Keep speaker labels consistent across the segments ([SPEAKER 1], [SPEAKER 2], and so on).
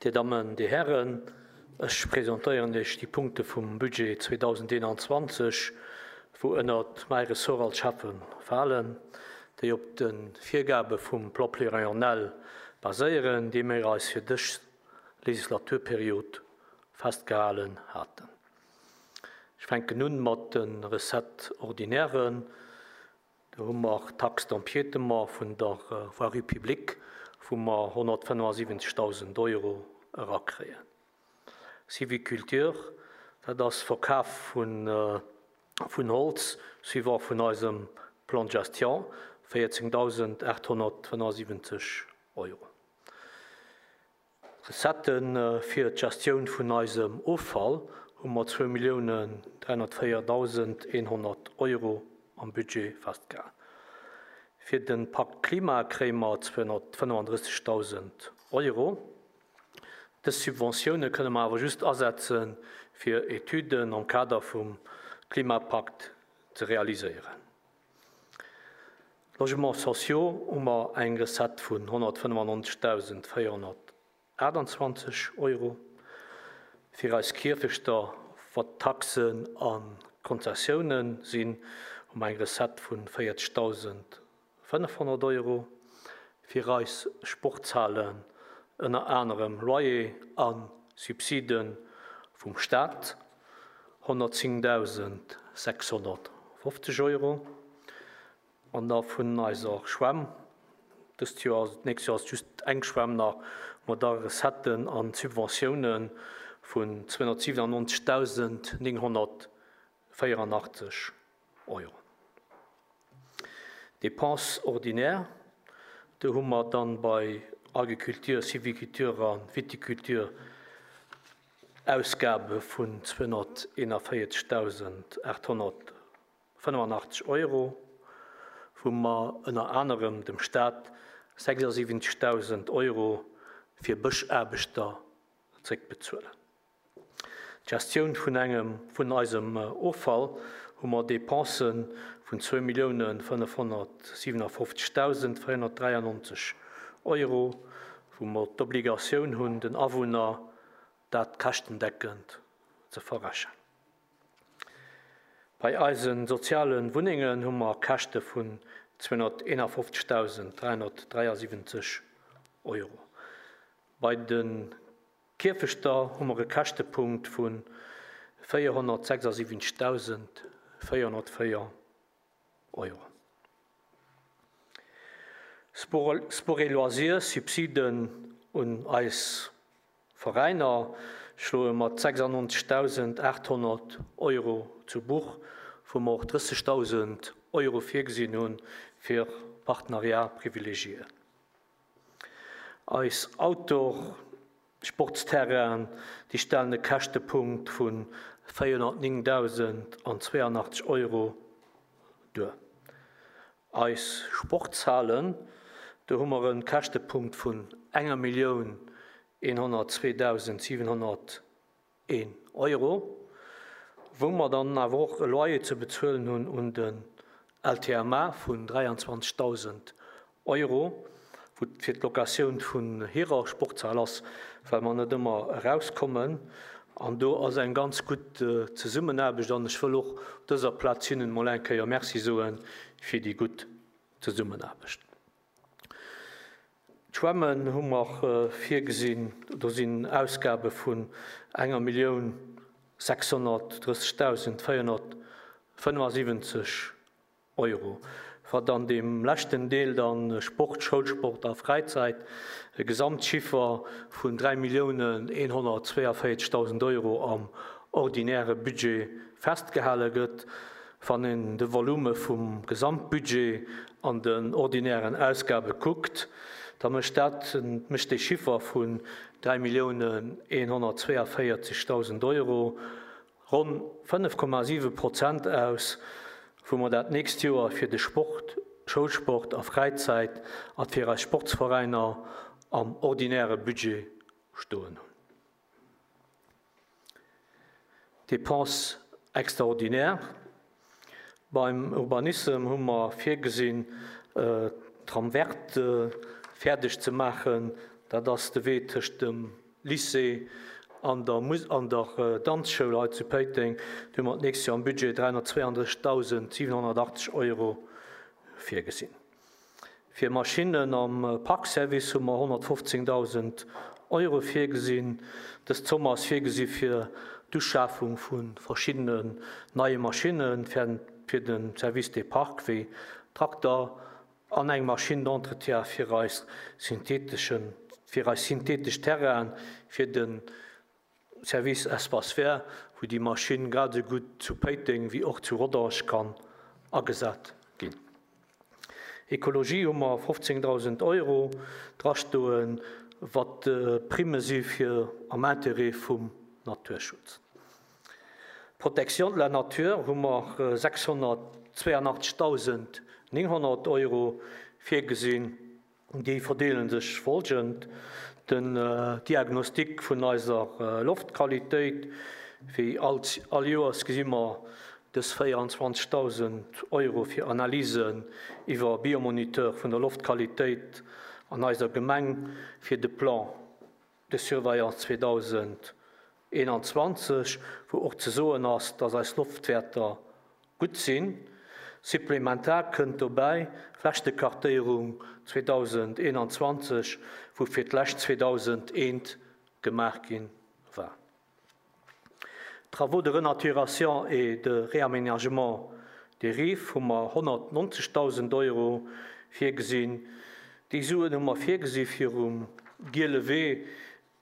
[SPEAKER 1] Dir Dammen, Dir Hären, ech presentéieren Iech déi Punkte vum Budget 2021, wou ënnert mäi Ressort als Schäffe falen, déi op de Virgabe vum Plan pluriannuel baséieren, dee mir eis fir dës Legislaturperiod festgehalen haten. Ech fänken un mat de Recettes ordinairen. Do hu mer d'Taxe d'empiétement vun der Voirie publique, wou mer 175.000 Euro erakréien. Sylviculture, dat ass Verkaf vun Holz suivant vun eisem Plan de gestion, 14.875 Euro. Recettë fir d'Gestioun vun eisem Offall hu mer 2.304.100 Euro am Budget festgehal. Fir de Pakt Klima kréie mer 235.000 Euro. Dës Subventioune kënne mer awer just asetze fir Etüden am Kader vum Klimapakt ze realiséieren. Logements sociaux hu mer eng Recette vun 195.428 Euro. Fir eis Kierfechter, wat Taxen a Konzessiounen sinn, hu mer eng Recette vun 40.500 Euro. Fir eis Sportshalen, ënner anerem Loyer a Subside vum Staat, 110.650 Euro. An da vun eiser Schwämm, dëst Joer, d'nächst Joer ass just eng Schwämm nach, mat da Recetten a Subventioune vun 297.984 Euro. Dépenses ordinaires, do hu mer dann bei Agriculture, Sylviculture a Viticulture Ausgabe vun 241.885 Euro, wou mer ënner anerem dem Staat 76.000 Euro fir Bëschaarbechter zréckbezuelen. D'Gestioun vun engem vun eisem Offall hu mer Dépensë vun 2.557.493 Euro, wou mer d'Obligatioun hunn, den Awunner dat käschtendeckend ze verrechen. Bei eise soziale Wunnengen hu mer Käschte vun 251.373 Euro. Bei de Kierfechter hu mer e Käschtepunkt vu 476.404 Euro. Sport et Loisirs, Subsiden un eis Veräiner schloe mat 96.800 Euro zu Buch, wou mer och 30.000 Euro virgesinn hu fir Partenariats privilégiés. Eis Outdoor-Sportsterrainen, déi stellen e Käschtepunkt vu 409.082 Euro duer. Eis Sportshalen, do hu mer e Käschtepunkt vun enger Millioun 102.701 Euro, wou mer dann awer och e Loyer ze bezuelen hunn un den LTMA vun 23.000 Euro, wou fir d'Locatioun vun hirer Sportshal ass, well mer net ëmmer erauskommen. An do ass eng ganz gutt Zesummenaarbecht an ech wëll och op dëser Plaz hinnen emol eng Kéier Merci soe fir déi gutt Zesummenaarbecht. D'Schwämmen hu mer virgesinn, do sinn Ausgabe vun enger Millioun 630.475 Euro, wat an deem leschten Deel dann Sport, Schoulsport a Fräizäit, e Gesamtchiffer vun 3.142.000 Euro am ordinäre Budget festgehale gëtt. Wann een de Volume vum Gesamtbudget an den ordinären Ausgabe kuckt, da mécht dat, mécht dee Chiffer vun 3.142.000 Euro ronn 5,7 Prozent aus, wou mer dat nächst Joer fir de Sport, Schoulsport a Fräizäit a fir eis Sportsveräiner am ordinäre Budget stoen hunn. Dépenses extraordinaires, Beim Urbanissem hu mer virgesinn, d'Trame verte fäerdeg ze maachen. Dat ass de Wee tëscht dem. Lycée an der an der Danzschoul hei zu Péiteng. Do hu mer d'nächst Joer am Budget 332.780 Euro virgesinn. Fir Maschinnen am Parkservice hu mer 115.000 Euro virgesinn. Dës Zomm ass virgesi fir d'Uschafung vu verschiddenen neie Maschinne fir de Service des Parcs, wéi Trakter an eng Machine d'entretien fir eis syntheteschen, fir eis synthetesch Terrainen, fir de Service Espaces Verts, wou déi Maschinn grad esou gutt zu Péiteng wéi och zu Rodange kann agesat ginn. Ekologie hu mer 15.000 Euro drastoen, wat Primme si fir am Intérêt vum Naturschutz. Protection de la nature hu mer 682.900 Euro virgesinn. Déi verdeele sech folgend, Den Diagnostic vun eiser Loftqualitéit, wéi all Joers gesi mer dës 24.000 Euro fir Analysen iwwer Biomoniteur vun der Loftqualitéit an eiser Gemeng fir de Plan de surveillance 2021, wou och ze soen ass, dass eis Loftwäerter gutt sinn. Supplementar kënnt dobäi d'Flächtekartéierung 2021, wou fir d'lescht 2001 gemaach gi war. Travaux de renaturation et de réaménagement des rives hu mer 190.000 Euro virgesinn. Déi Suen hu mer virgesi fir um Giele Wee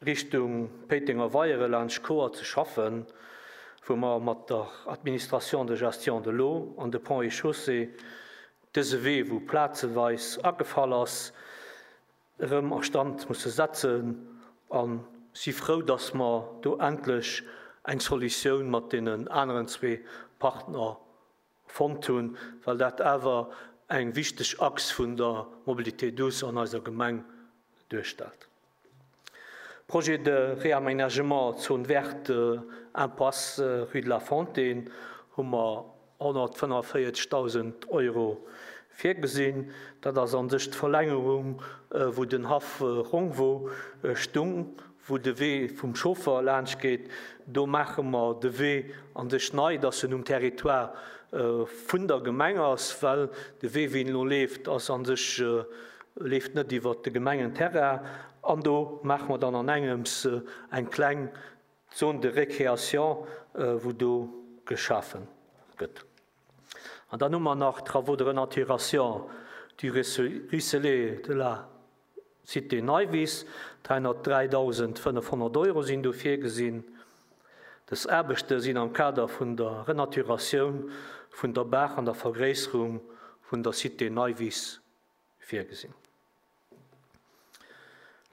[SPEAKER 1] Richtung Péitenger Weiere laanscht Chouer ze schaffen, wou mer mat der Administration de gestion de l'eau an de Ponts et Chaussées dëse Wee, wou plazeweis agefall ass, erëm a Stand musse setzen a si frou, dass mer do endlech eng Solutioun mat deenen aneren zwee Partner fonnt hunn, well dat awer eng wichteg Achs vun der Mobilité douce an eiser Gemeng duerstellt. Projet de réaménagement zone verte Impasse rue de la Fontaine hu mer 145.000 Euro virgesinn. Dat ass a sech d'Verlängerung, wou den Haff Rongwo stung, wou de Wee vum Chauffer laanscht geet. Do maache mer de Wee a sech nei, dass en um Territoire vun der Gemeng ass, well de Wee, wéi en elo leeft, ass a sech, leeft net iwwert de Gemengenterrain. An do maache mer dann an engems eng kleng Zone de récréation, wou do geschafe gëtt. An dann hu mer nach Travaux de renaturation du ruisselet de la Cité Neiwiss, 303.500 Euro sinn do virgesinn. Dës Aarbechte sinn am Kader vun der Renaturatioun vun der Baach an der Vergréisserung vun der Cité Neiwiss virgesinn.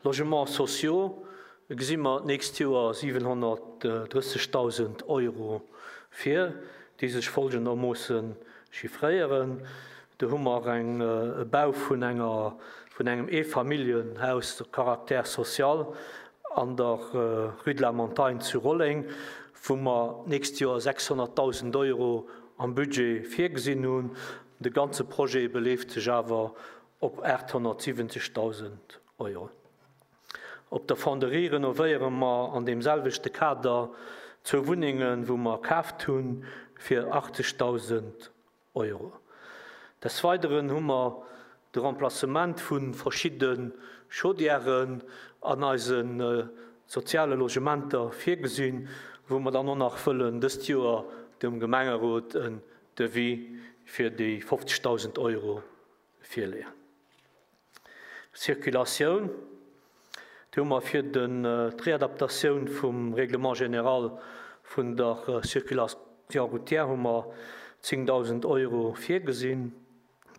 [SPEAKER 1] Logements sociaux gesi mer d'nächst Joer 730.000 Euro vir, déi sech folgendermoosse chiffréieren. Do hu mer eng e Bau vun enger vun engem Eefamilljenhaus de caractère social an der Rue de la Montagne zu Rolleng, wou mer d'nächst Joer 600.000 Euro am Budget virgesinn hunn. De ganze Projet beleeft sech awer op 870.000 Euro. Op der Fonderie renovéiere mer an deem selwechte Kader zwou Wunnengen, wou mer kaaft hu fir 80.000 Euro. Des Weideren hu mer de Remplacement vu verschidde Chaudièren an eise soziale Logementer virgesinn, wou mer dann och nach wëllen dëst Joer dem Gemengerot en Devis fir déi 50.000 Euro virleeën. Circulatioun, Do hu mer fir d'Readaptatioun vum Règlement général vun der Circulation routière hu mer 10.000 Euro virgesinn.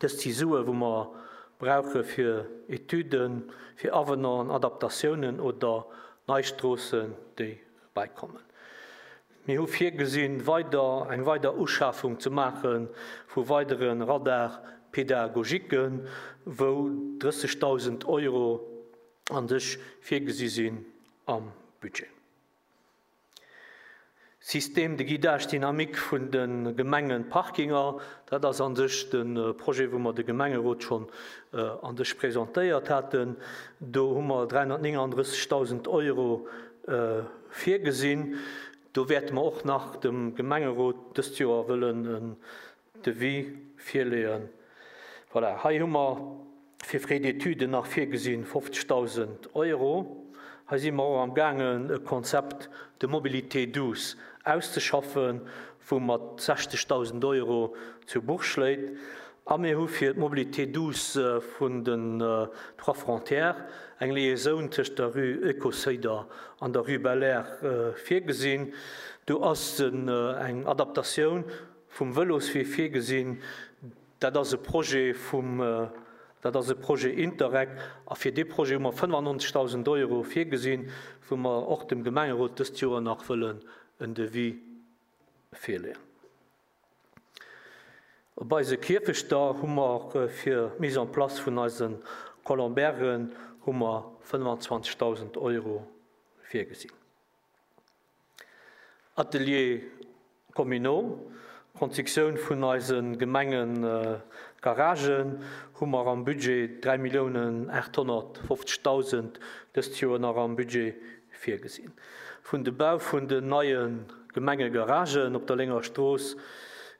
[SPEAKER 1] Dëst si Sue wou mer brauche fir Etüden, fir Avenanten, Adaptatiounen oder nei Stroossen, déi bäikommen. Mir hu virgesinn, weider eng weider Uschafung ze maache vu weidere Radar-pédagogiquen, wou 30.000 Euro an sech virgesi sinn am Budget. Système de guidage dynamique vun de Gemengenparkinger, dat ass a sech de Projet, wou mer de Gemengerot schonn an sech presentéiert haten. Do hu mer 339.000 Euro virgesinn. Do wäerte mer och nach dem Gemengerot dëst Joer wëllen en Devis virleeën. Voilà, hei hu mer fir Frais d'études nach virgesinn 50.000 Euro. Hei si mer och am gaangen e Konzept de mobilité douce auszeschaffen, wou mat 60.000 Euro zu Buch schléit. A mir hu fir d'Mobilité douce vun den Trois Frontières eng Liaisoun tëscht der Rue Ecocéider an der Rue Belair virgesinn. Do ass eng Adaptatioun vum Vëloswee virgesinn. Dat ass e Projet vum, dat ass e Projet Interreg a fir dee Projet hu mer 95.000 Euro virgesinn, wou mer och dem Gemengerot dëst Joer nach wëllen en Devis virleeën. Op eise Kierfechter hu mer fir d'Mise en place vun eise Colombairen hu mer 25.000 Euro virgesinn. Ateliers communaux, Constructioun vun eise Gemengegaragen hu mer am Budget 3.850.000 dëst Joer nach am Budget virgesinn. Vun de Bau vun den neie Gemengegaragen op der Lénger Strooss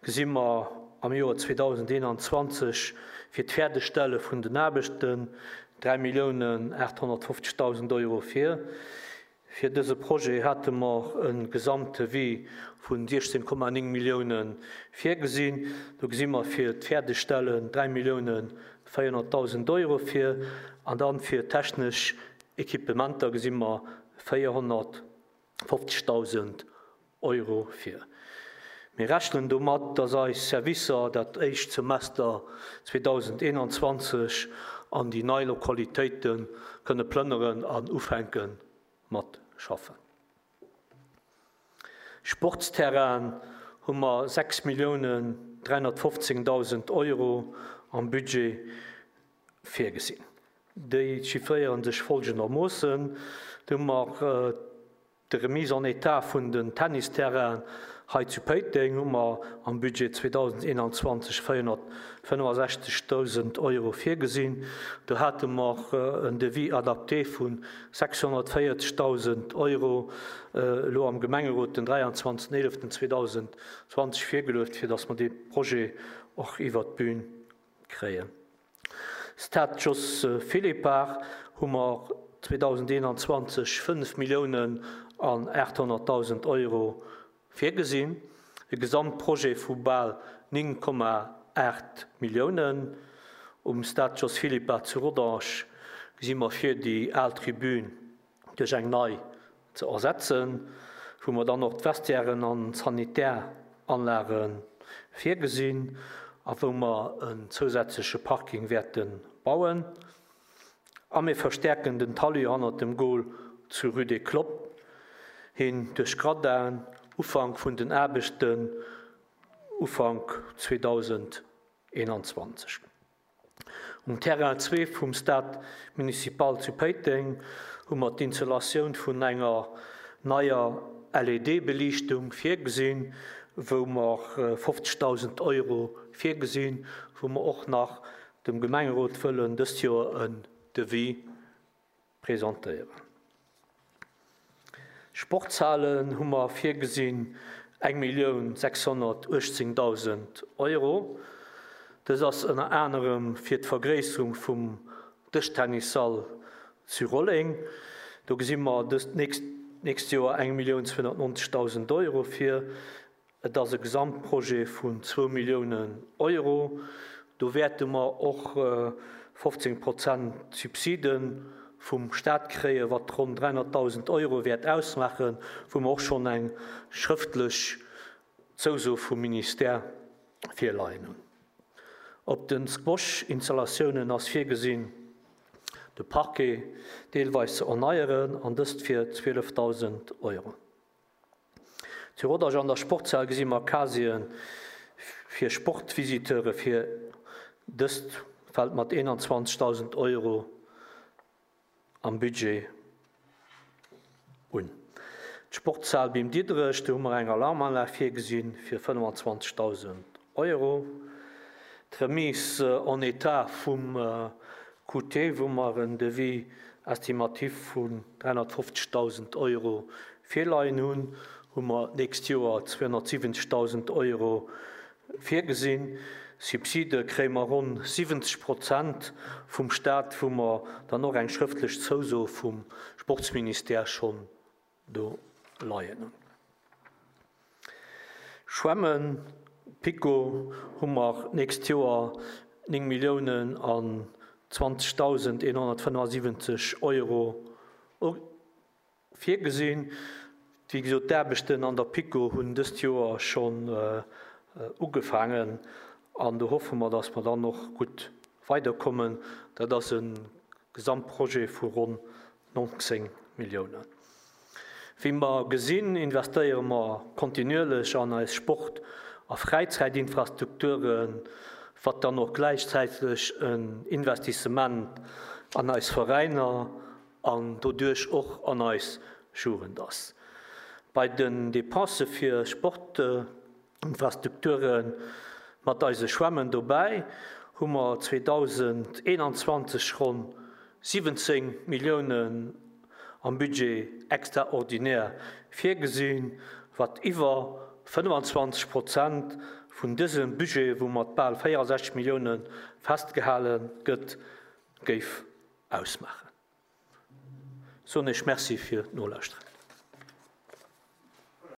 [SPEAKER 1] gesi mer am Joer 2021 fir d'Fäerdegstelle vun den Aarbechten 3.850.000 Euro vir. Fir dëse Projet hate mer e Gesamtdevis vu 16,9 Millioune virgesinn. Do gesi mer fir d'Fäerdegstellen 3.400.000 Euro vir an dann fir technesch Equipementer gesi mer 450.000 Euro vir. Mir rechnen domat, dass eis Servicer dat éischt Semester 2021 an déi nei Lokalitéite kënne plënneren an ufänke mat schaffen. Sportsterrainen hu mer 6.315.000 Euro am Budget virgesinn. Déi chiffréiere sech folgendermoossen, Do hu mer De Remise en état vun den Tennisterrainen hei zu Péiteng hu mer am Budget 2021 465.000 Euro virgesinn. Do hate mer en Devis adapté vu 640.000 Euro elo am Gemengerot den 23.11.2020 virgeluecht, fir datt mer dee Projet och iwwert d'Bün kréien. Stade Jos Philippart hu mer 2021 5 Milliounen an 800.000 Euro virgesinn, e Gesamtprojet vu bal 9,8 Milliounen. Um Stade Jos Philippart zu Rodange gesi mer vir, déi al Tribün duerch eng nei ze ersetzen, wou mer dann och d'Vestiairen an d'Sanitäranlage virgesinn a wou mer en zousätzleche Parking wäerte bauen. A mir verstäerken den Talus hannert dem Goal zu Rue des Cloppes hin duerch Gradin, Ufank vun den Aarbechten Ufank 2021. Um Terrain zwee vum Stade Municipal zu Péiteng hu mer d'Installatioun vun enger neier LED-Beliichtung virgesinn, wou mer 50.000 Euro virgesinn, wou mer och nach dem Gemengerot wëllen dëst Joer en Devis presentéieren. Sportshalen hu mer virgesinn 1.618.000 Euro. Dës ass ënner anerem fir d'Vergréisserung vum Dëschtennissall zu Rolleng. Do gesi mer dëst nächst Joer 1.290.000 Euro vir. Et ass e Gesamtprojet vun zwou Milliounen Euro. Do wäerte mer och 15 Prozent Subside vum Stat kréien, wat ronn 300.000 Euro wäert ausmaachen, wou mer och schonn eng schrëftlech Zouso vum Ministère virleien hunn. Op de Squash-Installatiounen ass virgesinn, de Parquet deelweis ze erneieren, an dëst fir 12.000 Euro. Zu Rodange an der Sportshal gesi mer Casieren fir Sportvisiteure fir. Dëst fält mat 21.000 Euro am Budget un. D'Sportshal Bim Diderech, do hu mer eng Alarmanlag virgesi fir 25.000 Euro. D'Remise en état vum QT, wou mer en Devis estimatif vun 350.000 Euro virleien hunn, hu mer d'nächst Joer 270.000 Euro virgesinn. Subside kréie mer ronn 70 Prozent vum Staat, wou mer dann och eng schrëftlech Zouso vum Sportsministère schonn do leien hunn. Schwämmen, PiKo, hu mer d'nächst Joer 9 Milliounen an 20.175 Euro Virgesinn. Wéi gesot, d'Aarbechten an der PiKo hunn dëst Joer schonn ugefaangen an do hoffe mer, dass mer dann och gutt weiderkommen. Dat ass e Gesamtprojet vu ronn 19 Milliounen. Wéi mer gesinn, investéiere mer kontinuierlech an eis Sport a Fräizäitinfrastrukturen, wat dann och gläichzäiteg en Investissement an eis Veräiner an doduerch och an eis Jugend ass. Bei den Depensë fir Sportinfrastrukture mat eise Schwämmen dobäi hu mer 2021 ronn 17 Milliounen am Budget extraordinaire virgesinn, wat iwwer 25 Prozent vun dësem Budget, wou mat bal 64 Millioune festgehale gëtt, géif ausmaachen. Soen Iech Merci fir d'Nolauschteren.